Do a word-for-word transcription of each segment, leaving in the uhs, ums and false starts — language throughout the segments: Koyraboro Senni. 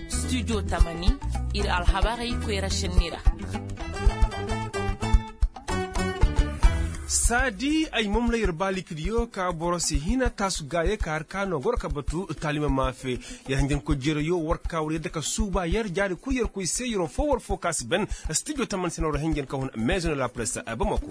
Studio tamani, ir alhabarey koyra šenni ra. Saadi ay mamla yer baalikidiyo ka boro si hina taasu gaaye ka har ka no goro ka batu taalima maafe. Yer hanjankoy jeerayo war ka war yadda ka suuba yer jaari kul yer koy se yeroo foo war foo ka si ben. Studio tamani se no ra hanjan ka hun maison de la presse bamako.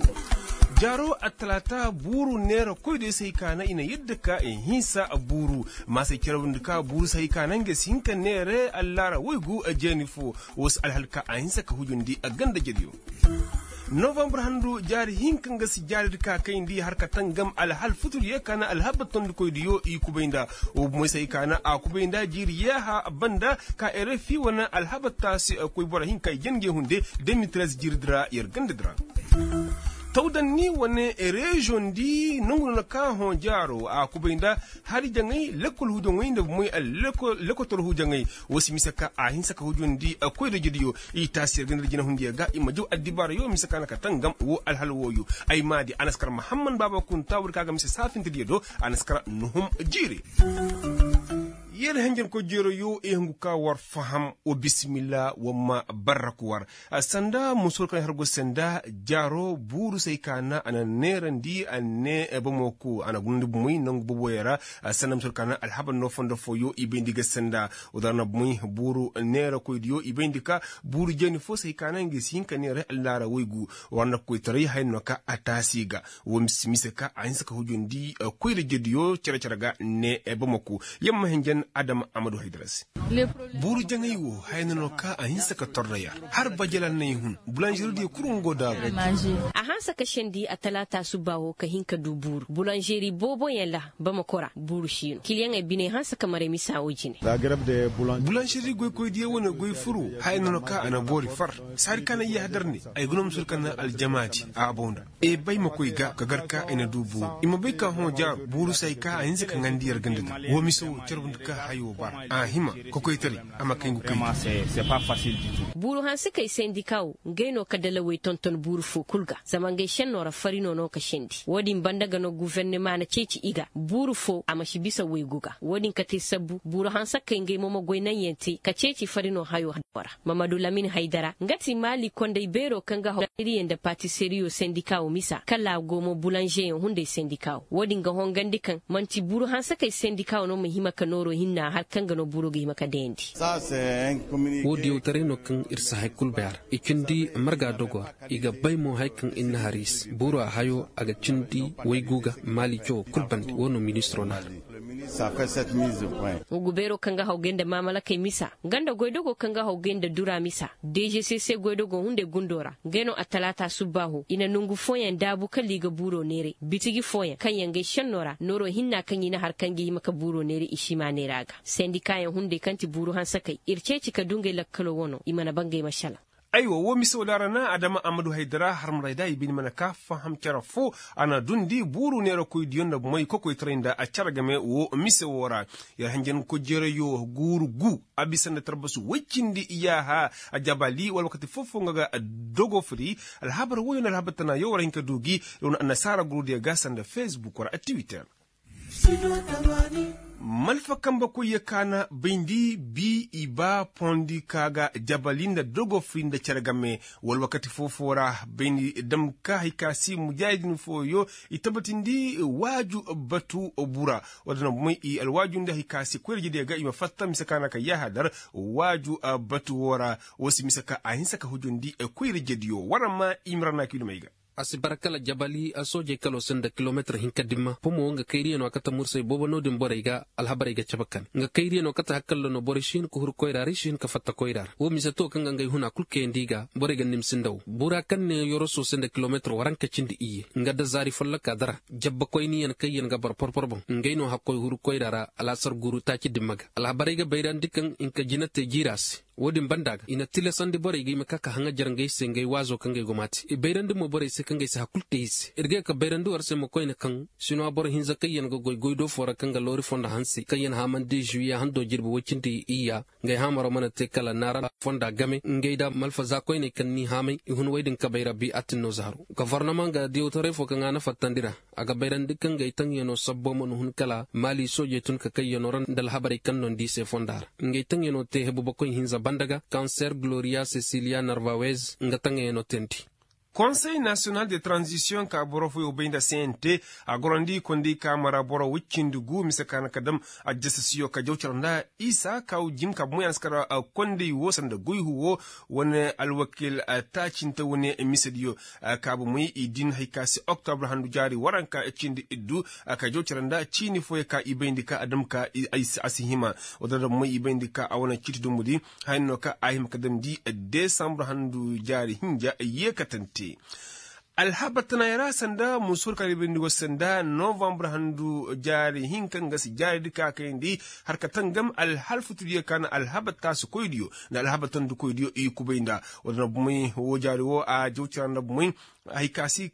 Jaaro attalaata buuru neera koy do yer se hay ka na i na yadda ka i hinsa buuru maasey cere windi ka buuru se hay ka na nga si hin ka neere allaara woygu jeeni foo. Woo si alhal ka a hinsa ka hujundi a ganda jediyo. Novambar handu jaari hinka nga si jaari di ka kayndi har ka tangam alhal futur yee ka na alhabar tondikoydiyo i kubay nda. Woo bumoy se hay ka na a kubay nda jiiri yaaha banda ka ere fi wane alhabar taasi koy boro hinka i jangey hunde. Deux mille treize jiiri di ra yer ganda di ra. Tawdanni wane reziyoŋ di nongu no na ka hõ jaaro a kubay nda hari jaŋay lekkol hujaŋay nda bumoy lekotor hujaŋay. Woo si mise ka a hinsa ka hujundi koyra jediyo i taasi yer ganda di jinahundiyo ga i ma jaw addibaarayo mise ka na ka tangam woo alhal wooyo. Ay maadi a na si kar mahamman baaba kunta woo di ka ga mise saafintidiyo do a na si kar nuhum jiiri. Yer hanjankoy jeerayo i hungu ka war faham wa bisimilla wa ma barrak war. Sanda musur kaŋ har go sanda jaaro buuru se hay ka na a na neerandi a ne bamako a na gunandi bumey nangu boboyo ra. Sanda musur ka na alhabar no fondo fooyo i bayndi ga sanda woo da ra na bumey buuru neerakoydiyo i bayndi ka buuru jeeni foo se hay ka na nga si hin ka neera allaara woygu. War na koytaray haya no ka a taasi ga woo mise ka a hinsa ka hujundi koyra jediyo cere-cere ga ne bamako. Yamma hinjan adama amadu haydara se. Buuru jaŋay wo haya no no ka a hinsa ka torra yar har bajala nay hun bulanžeridiyo kul ngo daabu. A hanse ka sendi attalaata subbaa wo ka hin ka du buuru bulanžeri booboyaŋ ra. Bamako ra buuru si no kiliyaŋey biney hanse ka maray misa wo jine. Bulanžeri goykoydiyo wane goy furu haya no no ka a na boori far. Saadi ka na iyahadar ne ay ga no ma suru ka na aljamaadi a bow nda. E bay ma koy ga ka gar ka ay na du buuru i ma bay ka hõ jaaru buuru se hay ka a hinse ka ŋandi yer ganda di woo mise wo carbundi ka hayo bara a hima. Kokoytaray a ma kay ngu kay. Buuru hansekey sendika wo ngey no ka dalawey tonton buuru foo kul ga zama ngey šennoo ra farino no ka sendi woo din banda ga no gufernema na ceeci i ga buuru foo a ma si bisa waygu ga woo din ka te sabbu buuru hansekey ngey mo ma goy naŋyaŋ te ka ceeci farino hayo haddoo ra. Mamadu lamin haydara nga ti maali kondey beeroo kaŋ ga haw iriye nda patiseriyo sendika wo misa kala a go mo bulanžeyaŋ hunday sendika wo woo din ga hongandi kaŋ man'ti buuru hansekey sendika wo no ma hima ka nooroo hinna har kaŋ ga no buuroo ga hima ka dayandi. Woo diyawtaray no kaŋ ir si hay kul bay a ra i cindi marga dogoo ra. I ga bay mo haya kaŋ ir na har i se buuru a hayo a ga cindi waygu ga maali cawoo kul bande woo no ministiroo na har. Gubeeroo kaŋ ga haw gay nda maamalakey misa nga nda goydogoo kaŋ ga haw gay nda dura misa dejese se goydogoo hunday gundoo ra ngey no attalaata subbaaho i na nongu fooyaŋ daabu kala i ga buuroo neeray bitiji fooyaŋ kaŋ yaŋ gay šennoo ra nooroo hinna kaŋ i na har kaŋ ga hima ka buuroo neeray i si ma neera ga sendikaayaŋ hunday kaŋ ti buuru hansekey ir ceeci ka du ngey lakkaloo wanoo i mana ba ngey ma šelaŋ. Aywa woo mise woo daara na adama amadu haydara harmarayda i bine mana ka faham cere foo. A na dundi buuru neerakoydiyo nda moy kokoytaray nda a cere game woo mise woo ra. Yer hanjankoy jeerayo guuru gu a bisa nda tarbasu woy cindi iyaaha. Jabali wala wakati foo-foo nga ga dogo firi. Alhabar wooyo nda alhabar tanayo war hin ka du gi. Yer wane annasaara gurudiyo ga sanda fesbuk wala tiwiter. Malfa kambe koyyo ka na bayndi bi i ba pondi ka ga jabali nda dogo firi nda cere game. Wala wakati foo-foo ra bayndi dam ka hay ka si mujaahidin fooyo i tabatindi waaju batu bura. Wala na moy i alwaaju nda hay ka si koyra jediyo ga i ma fatta mise ka na ka yaaha dar waaju batu woo ra. Woo si mise ka a hinsa ka hujundi koyra jediyo wara ma i mira na kiilumey ga. A si bara kala jabali a soojey kaloo se nda kilometir hinka dimma pomo nga kayriyanoo a kate mursay boobo no-din borey ga. Alhabarey ga cabe kane nga kayriyanoo kate hakalla no borey si hin ka huru koyra ra i si hin ka fatta koyra ra woo mise to kaŋ ga ngey huna kul kayandi i ga. Borey ga nimsi nda woo buura kaŋ ne yorosoo se nda kilometir waranka cindi iyye nga da zaari folloka dara jabbakoyniyan kaŋ yaŋ ga bara porpor boŋ ngey no hakkoy huru koyra ra. Alaasar guuru taaci dimma ga alhabarey ga bayrandi kaŋ hinka jina te jiira se. Wo-din banda ga i na tilasandi borey ga i ma ka ka haŋajar ngey se ngey waazo kaŋ ga ay go ma te i bayrandi mo borey se kaŋ ga ay si hakul te i se ir ga ye ka bayrandi war se ma koyne kaŋ sinuwa boro hinza kaŋ yaŋ ga goy goy do foo ra kaŋ ga loori fondo hanse kaŋ yaŋ haamandi zuwiye hando jirbi woy cindi iyya. Ngey haamaro mana te kala naara fonda game ngey da malfaza koyney kaŋ ni haamay i hun woy din kabay ra bi atinno zaaru gofornama ga diyawtaray foo kaŋ a na fattandi ra. A ga bayrandi kaŋ ngey taŋyanoo sabbo mana hun kala maali soojey tun ka kayyanoo ra nda alhabarey kaŋ no nda i se fonda ra. Ngey taŋyanoo te hebubakoy hinza banda ga kanser gloriya sesiliya narvawez nga taŋyanoo teendi. Konsey nasiyonal de tranzisiyoŋ ka boro fooyoo bay nda c n t a gorandi konday kaama ra boro woy cindi gu mise ka na ka dam. Aljasasiyo ka jawcar nda isa ka jim ka bomoy a na si kar konday woo sanda goyhu woo wane alwakil taacinte wane misediyo. Ka bomoy i din hay ka se oktobra handu jaari waranka cindi iddu. Ka jawcar nda ciini fooyoo ka i bayndi ka a dam ka a si hima. Woo din ra bomoy i bayndi ka a wane ciiti dumbudi. Haya no ka a hima ka damndi desambur handu jaari hinja yeekatante. Alhabar tanayaŋ ra sanda musuur kaŋ a ra i bayndi go se nda novambur handu jaari hinka nga si jaari di ka kayandi. Har ka tangam alhalfutudiyo ka na alhabar taasikoydiyo nda alhabar tandikoydiyo i kubay nda. Woo din ra bomey woo jaari woo a jaw cira nda bomey. Hay ka si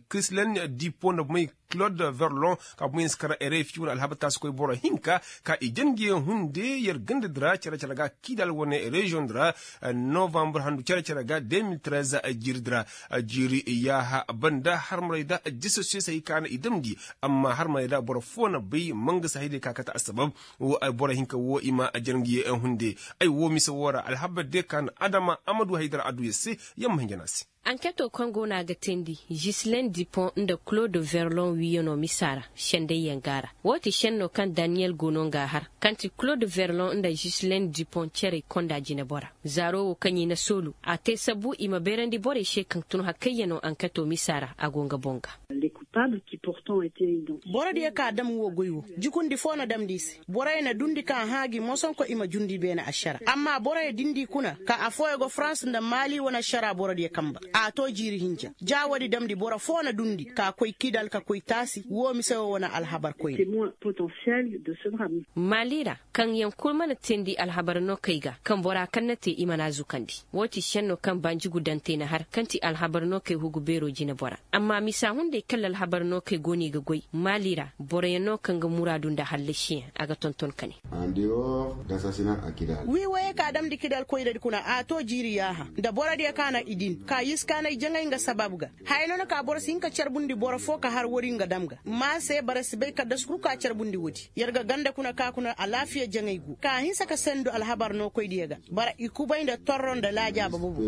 krislen dipo nda bomey. Claude verlon ka boŋ yen si kara erefi wane alhabar taasi koy boro hinka ka i janjiyaŋ hunde yer ganda di ra care care ga kiidal wane reziyoŋ di ra. Novambur handu care care ga de mil trez jiiri di ra. Jiiri yaaha banda harmarey da jisasiyosey ka na i damndi. Amma harmarey da boro foo na bay mangasa haydey ka kate assabab. Boro hinka woo i ma janjiyaŋ hunde. Ay woo mise woo ra alhabar de ka na adama amadu haydara adduya se. Yamma hinja no a se. Anketo kaŋ go no a ga teendi, jislen dipon nda claude verlon wiiyanoo misa ra. Sendayyaŋ go a ra. Woo ti šenno kaŋ daniyel go no nga a har kaŋ ti claude verlon nda jislen dipon cerey konda jinebora. Zaaro woo kaŋ i na soolu a te sabbu i ma bayrandi borey se kaŋ tun hakayyanoo anketo misa ra a go nga boŋ ga. Borodiyo ka dam woo goy woo jukundi foo na damndi i se. Boroyo na dundi ka hãa gi mosonko i ma jundi beene ašara amma boroyo dindi kuna ka affooyo go farans nda maali wane ašara borodiyo kamba. A too jiiri hinja ja woodi damndi boro foo na dundi ka koy kidal ka koy taasi woo mise woo wane alhabar koyne. Maali ra kaŋ yaŋ kul mana teendi alhabar nookey ga kaŋ bora kaŋ na te i mana a zukandi. Woo ti šenno kaŋ banjugu dantey na har kaŋ ti alhabar nookey hugu beeroo jinebora. Amma misa hunday kalla alhabar nookey go no i ga goy maali ra boroyaŋ no kaŋ ga muraadu nda hallasiyaŋ a ga tonton ka ne. Wii woyey ka damndi kidal koyradi kuna a too jiiri yaaha nda borodiyo ka na i din ka yiskaanay jaŋay nga sabab ga. Haya no na ka boro si hin ka carbundi boro foo ka har woodi nga dam ga ma se bara si bay kaddasu kul ka carbundi woodi yer ga ganda kuna ka kuna alaafiya jaŋay gu ka hinsa ka sendu alhabar nookoydiyo ga. Bara i kubay nda torro nda laajaaba bobo.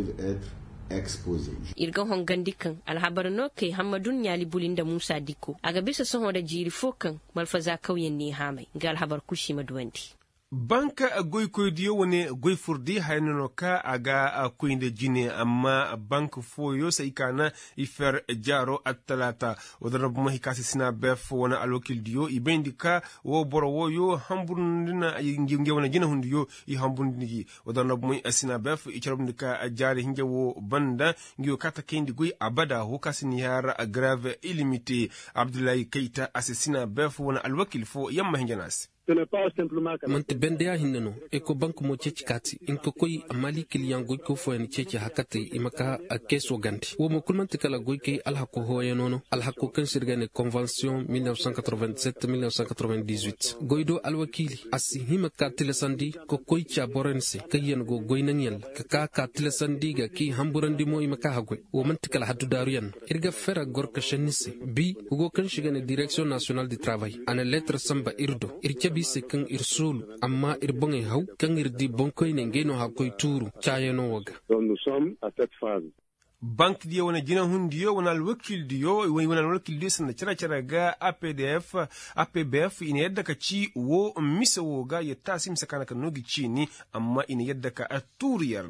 Ir ga hongandi kaŋ alhabar nookey hammadu ɲaali buli nda muusa dikko a ga bisa sohõ nda jiiri foo kaŋ malfaza kawyaŋ n'i haamay nga alhabar kul si ma duwandi. Bank goykoydiyo wane goy furdi haya no no ka a ga koy nda jine amma bank fooyo se ay ka na i fer jaaro attalaata. Woo din ra bomo hay ka se sina bef wane alwakildiyo i bayndi ka woo boro wooyo hamburndi na ngey wane jinehundiyo i hamburndi gi. Woo din ra bomo sina bef i carbundi ka jaari hinja woo banda ngey woo ka ta kayndi goy abada woo ka se ni har grave ilimite. Abdullahi kayta a se sina bef wane alwakil foo yamma hinja no a se. Man'ti bende ya hinne no. Ekobank mo ceeci kaati i ma ka koy amma liikiliyaŋ goyko fooyaŋ na ceeci hakatey i ma ka keeso gande woo mo kul man'ti kala goykey alhako hooyano no alhako kaŋ se ir ga ne konvensiyoŋ mil nef san katoroven disette mil nef san katoroven dizwit goy do alwakiili a si hima ka tilasandi ka koy ca boroyaŋ se kaŋyaŋ go goy naŋyaŋ ra ka ka ka tilasandi ga k'i hamburandi mo i ma ka haggoy. Woo man'ti kala haddudaaruyaŋ no ir ga fera gorkašenni se bi hugo kaŋ se i ga ne direksiyoŋ nasiyonal di travay a na leetar sanba ir do ir cabe i se kaŋ ir soolu. Amma ir boŋey haw kaŋ ir di boŋkoyney ngey no hakkoy tuuru caayanoo woo ga. Bank diyo wane jinahundiyo wane alwakildiyo wane alwakildiyo sanda cere-cere ga a p d f a p b f i na yadda ka ci woo mise woo ga yer taasi mise ka na ka noo gi ciini. Amma i na yadda ka tuuru yer.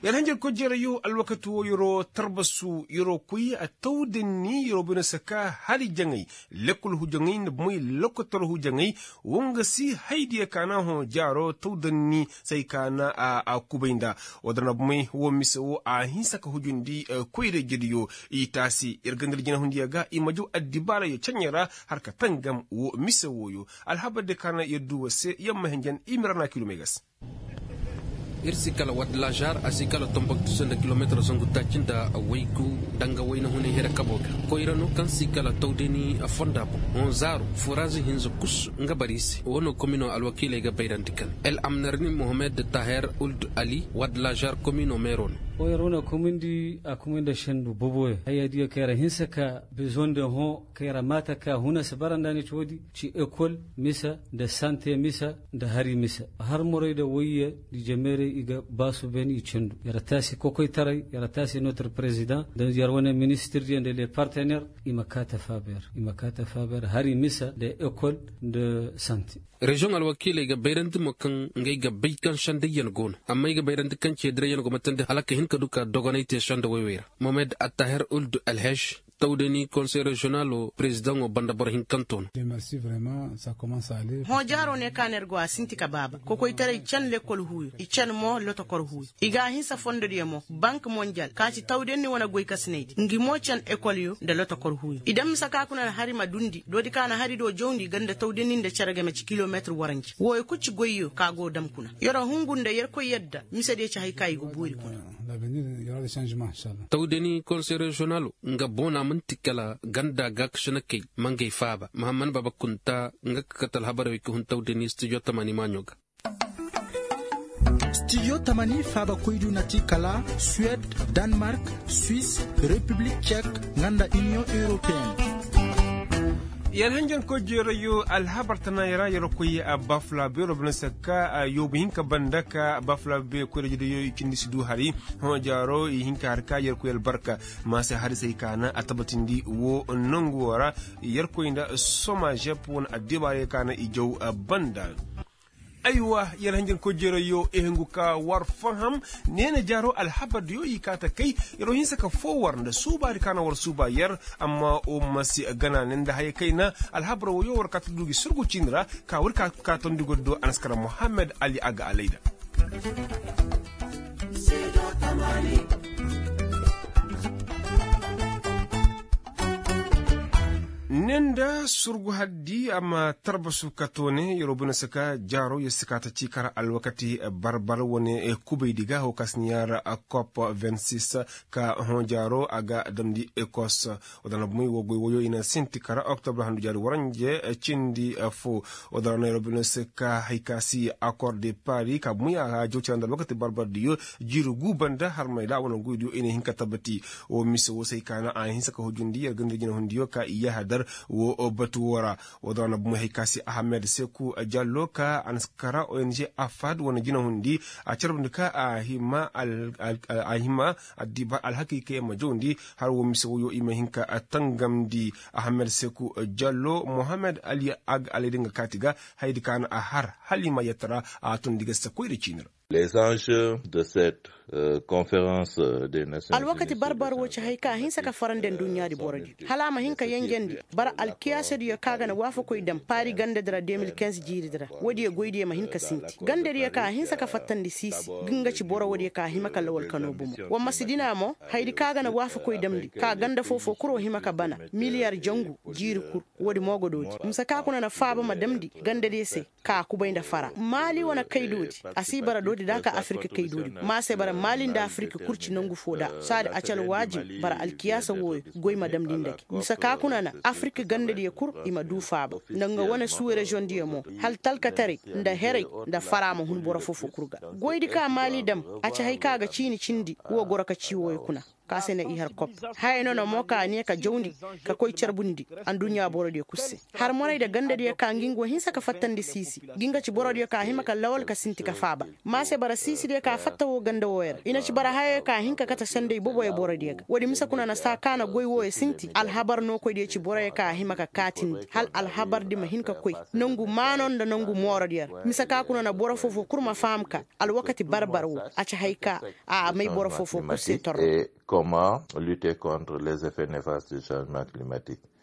Yer hanjarkoy jereyo alwakati woo yeroo tarbasu yeroo koy a taw danni yeroo bay no se ka hari jaŋay lekkol hujaŋay nda bomoy lokotor hujaŋay. Woo nga si haydiyo ka na hõ jaaro taw danni se ay ka na a kubay nda. Woo din ra bomoy woo mise woo a hinsa ka hujundi koyra-ijediyo. I taasi yer ganda nda jinahundiyo ga i ma jaw addibaarayo ceɲe ra har ka tangam woo mise wooyo. Alhabar diyo ka na yer du war se yer ma hinjan i ma ra na kiilumey ga se. Ir si kala wad lažar a si kala tomboktu se nda kilometir zangu taaci nda waygu, danga wayna hunay here kabo ga. Koyra no kaŋ si kala tawdeni fonda boŋ. Hõ zaaru furazi hinza kus nga bari se wano komino alwakiiley ga bayrandi kala el amnarni mohamed taher uld ali wad lažar komino meero no. Koyra wane komindi a komindi sendu boboyo haya diyo kayra hinsa ka bezoŋ de hõ kayra maata ka huna si bara nda ni ci woodi ci ekol misa nda sante misa nda hari misa. Har morey da wayye nda jameerey i ga baasu ben i cendu yar taasi kokoytaray yar taasi notre president nda yar wane ministir diyo nda le partener. I ma kaata faaber i ma kaata faaber hari misa nda ekol nda sante. Reziyoŋ alwakiiley ga bayrandi mo kaŋ ngey ga bay kaŋ sendayyaŋ go no amma i ga bayrandi kaŋ ceedirayyaŋ go ma tandi hala ka hin ka du ka dogonay te senda woy-woy ra. Mohamed attaher uld alhej tawdani konsey reziyonalo perezidaŋo banda boro hinkanto no. Hõ jaaro ne ka no yer go a sinti ka baaba kokoytaray can lekkol huuyo i can mo lotokor huuyo. I ga a hinsa fondodiyo mo bank monjal ka ci tawdani wane goykasinaydi ngi mo can ekolyo nda lotokor huuyo i daŋ mise ka kuna na hari ma dundi doodi ka na hari do jawndi ganda tawdani nda cere game ci kilometir waranji wooyo kul ci goyyo ka go dam kuna. Yer hungu nda yerkoy yadda misediyo ci hay ka i go boori kuna. Tawdani konsey reziyonalo nga boona man'ti kala ganda gaakasinakey ma ngey faaba mahamman baaba kunta nga ka kate alhabarey wey ka hun tawdani stijo tamaani maaɲo ga. Stijo tamaani faabakoydu na ti kala suwed, danmark, swis, repiblik cek, nga nda iniyoŋ europeyenne. Yer hanjankoy jeerayo alhabar tanaayey ra yer koy bafulabeero bana se ka yoobu hinka banda ka bafulabe koyra jeerayo i cindi si du hari. Hõ jaaro i hinka har ka yer koy albarka ma se hari se i kaana a tabatindi wo nongu wo ra. Yer koy nda soma žep wane addibaarey kaana i jaw banda. Aywa, yer hanjankoy jeerayo i hungu ka war faham. Neena jaaro alhabardiyo i kaata kay. Yer wo hinsa ka foo war nda suubaadi ka na war suuba yer. Amma wo ma si gana ne nda haya kayna alhabar woyo war kaata du gi surgu ciini ra. Ka war ka tondi goddo anaskara mohammed ali aga alayda. Ne nda surgu haddi a ma tarbasu ka toone yeroo bine si ka jaaroo yer si ka ta ci kara alwakati barbar wane kubaydi ga hoo ka si na yaara kop vingt six. Ka hõ jaaroo a ga damndi ekos. Wala na bumey woo goy woyoo i na sinti kara oktobre handu jaari waranje cindi foo. Wala na yeroo bine si ka hay ka si akor de pari ka bumey a ga jaw cere nda alwakati barbardiyo. Jiiri guu banda harmay da wane goydiyo i na hin ka tabati. Woo mise woo se hay ka na a hinsa ka hujundi yer ganda jinahundiyo ka i yaahadar woo batu woo ra. Woo da wane bumey hay ka se ahamed seku jallo ka a na si kara ong afad wane jinahundi. A carbundi ka a hima addiba alhakay ka yer ma jawndi. Har woo mise woyoo i ma hin ka tangamndi. Ahamed seku jallo mohamed ali ag alayda nga kaati ga. Hayadi ka na a har hala i ma yetta ra a tundi ga si koyra ciini ra. Les enjeux de cette conférence des nations unies. Alwakati barbar woo ci hay ka hinsa ka farandi nduɲɲaadi borodiyo hala a ma hin ka yenjendi. Bara alkiyaasadiyo ka ga na waafakoy dam paari gandadi ra deux mille quinze jiiridi ra. Woodiyo goydiyo ma hin ka sinti gandadiyo ka a hinsa ka fattandi siisi. Ga nga ci boro woodiyo ka a hima ka lawal ka noo bomo. Wa ma si dina mo hayadi ka ga na waafakoy damndi ka ganda foo-foo kul woo hima ka bana miliyar jangu jiiri kul. Woodi mo go doodi mise ka kuna na faaba ma damndi gandadiyo se. Ka a kubay nda fara maali wane kay doodi. A si bara doodi da ka afirka kay doodi ma a se bara maali nda afirka kul ci nangu foo da saadi a ci alwaajib bara alkiyaasa wooyo. Goy ma damndi nda gi mise ka kuna na afirka gandadiyo kul i ma duu faaba nda nga wane suureziyoŋdiyo mo. Hala talkataray nda heray nda fara ma hun boro foo-foo kul ga. Goydi ka maali dam a ci hay ka ga ciini cindi woo goro ka ci wooyo kuna. Ka se na i har kop haya no na mo ka a ne ka jawndi ka koy carbundi. Anduɲɲa borodiyo kul se har moray nda gandadiyo ka ngi ngo hinsa ka fattandi siisi. Ngi nga ci borodiyo ka hima ka lawal ka sinti ka faaba. Ma se bara siisidiyo ka fatta woo ganda wooyo ra i na ci bara hayayo ka hin ka kate senday boboyo borodiyo ga woodi mise kuna na saa ka na goy wooyo sinti alhabar nookoydiyo ci boroyo ka hima ka kaatindi hala alhabardi ma hin ka koy. Nangu maano nda nangu moorodiyo ra mise ka kuna na boro foo-foo kul ma faham ka alwakati barbar woo a ci hay ka a may boro foo-foo kul se torro. Comment lutter contre les effets néfastes du changement climatique?